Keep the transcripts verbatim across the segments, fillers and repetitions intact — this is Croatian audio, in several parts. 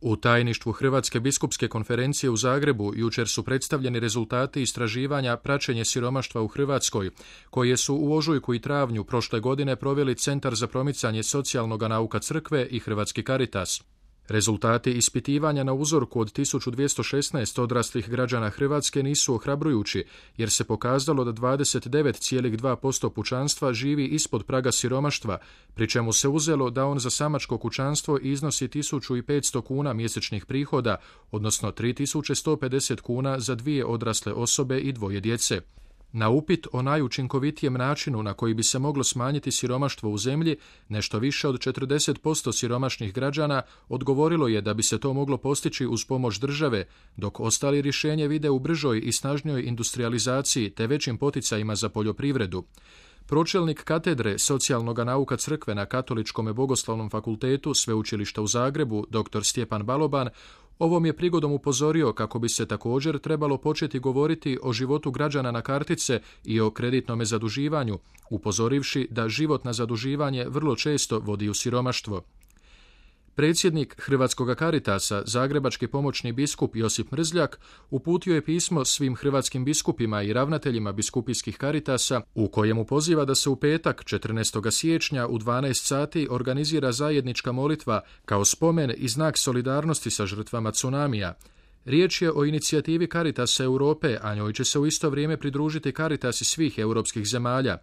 U tajništvu Hrvatske biskupske konferencije u Zagrebu jučer su predstavljeni rezultati istraživanja praćenje siromaštva u Hrvatskoj, koje su u ožujku i travnju prošle godine proveli Centar za promicanje socijalnog nauka Crkve i Hrvatski Caritas. Rezultati ispitivanja na uzorku od tisuću dvjesto šesnaest odraslih građana Hrvatske nisu ohrabrujući, jer se pokazalo da dvadeset devet zarez dva posto pučanstva živi ispod praga siromaštva, pri čemu se uzelo da on za samačko kućanstvo iznosi tisuću petsto kuna mjesečnih prihoda, odnosno tri tisuće sto pedeset kuna za dvije odrasle osobe i dvoje djece. Na upit o najučinkovitijem načinu na koji bi se moglo smanjiti siromaštvo u zemlji, nešto više od četrdeset posto siromašnih građana odgovorilo je da bi se to moglo postići uz pomoć države, dok ostali rješenje vide u bržoj i snažnijoj industrializaciji te većim poticajima za poljoprivredu. Pročelnik katedre socijalnog nauka Crkve na Katoličkom bogoslovnom fakultetu Sveučilišta u Zagrebu, dr Stjepan Baloban, ovom je prigodom upozorio kako bi se također trebalo početi govoriti o životu građana na kartice i o kreditnom zaduživanju, upozorivši da život na zaduživanje vrlo često vodi u siromaštvo. Predsjednik Hrvatskog Caritasa, zagrebački pomoćni biskup Josip Mrzljak, uputio je pismo svim hrvatskim biskupima i ravnateljima biskupijskih Caritasa, u kojemu poziva da se u petak četrnaestog siječnja u dvanaest sati organizira zajednička molitva kao spomen i znak solidarnosti sa žrtvama tsunamija. Riječ je o inicijativi Caritasa Europe, a njoj će se u isto vrijeme pridružiti Caritasi svih europskih zemalja.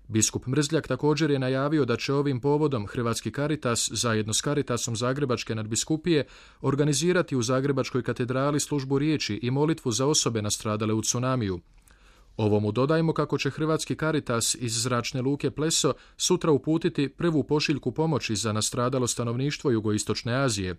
Biskup Mrzljak također je najavio da će ovim povodom Hrvatski Caritas zajedno s Caritasom Zagrebačke nadbiskupije organizirati u Zagrebačkoj katedrali službu riječi i molitvu za osobe nastradale u tsunamiju. Ovomu dodajmo kako će Hrvatski Caritas iz zračne luke Pleso sutra uputiti prvu pošiljku pomoći za nastradalo stanovništvo jugoistočne Azije.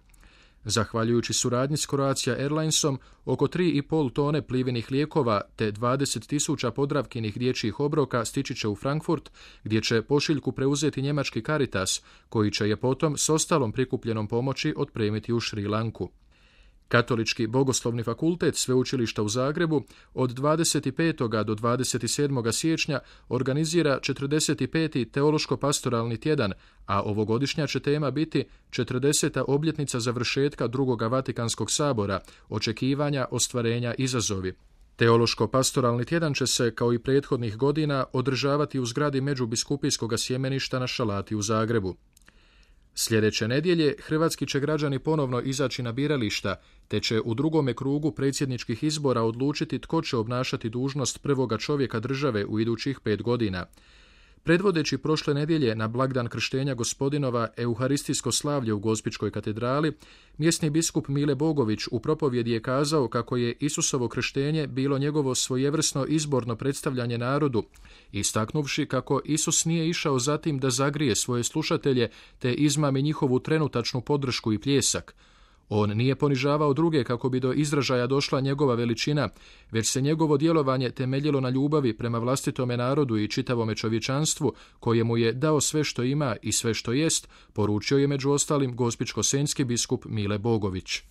Zahvaljujući suradnji s Croatia Airlinesom, oko tri i pol tone plivenih lijekova te dvadeset tisuća Podravkinih dječjih obroka stići će u Frankfurt, gdje će pošiljku preuzeti njemački Caritas, koji će je potom s ostalom prikupljenom pomoći otpremiti u Šri Lanku. Katolički bogoslovni fakultet Sveučilišta u Zagrebu od dvadeset petog do dvadeset sedmog siječnja organizira četrdeset peti teološko-pastoralni tjedan, a ovogodišnja će tema biti četrdeseta obljetnica završetka drugog Vatikanskog sabora, očekivanja, ostvarenja, izazovi. Teološko-pastoralni tjedan će se, kao i prethodnih godina, održavati u zgradi Međubiskupijskog sjemeništa na Šalati u Zagrebu. Sljedeće nedjelje hrvatski će građani ponovno izaći na birališta, te će u drugome krugu predsjedničkih izbora odlučiti tko će obnašati dužnost prvoga čovjeka države u idućih pet godina. Predvodeći prošle nedjelje na blagdan krštenja Gospodinova euharistijsko slavlje u Gospićkoj katedrali, mjesni biskup Mile Bogović u propovjedi je kazao kako je Isusovo krštenje bilo njegovo svojevrsno izborno predstavljanje narodu, istaknuvši kako Isus nije išao za tim da zagrije svoje slušatelje te izmami njihovu trenutačnu podršku i pljesak. On nije ponižavao druge kako bi do izražaja došla njegova veličina, već se njegovo djelovanje temeljilo na ljubavi prema vlastitome narodu i čitavome čovječanstvu, kojemu je dao sve što ima i sve što jest, poručio je među ostalim gospićko-senjski biskup Mile Bogović.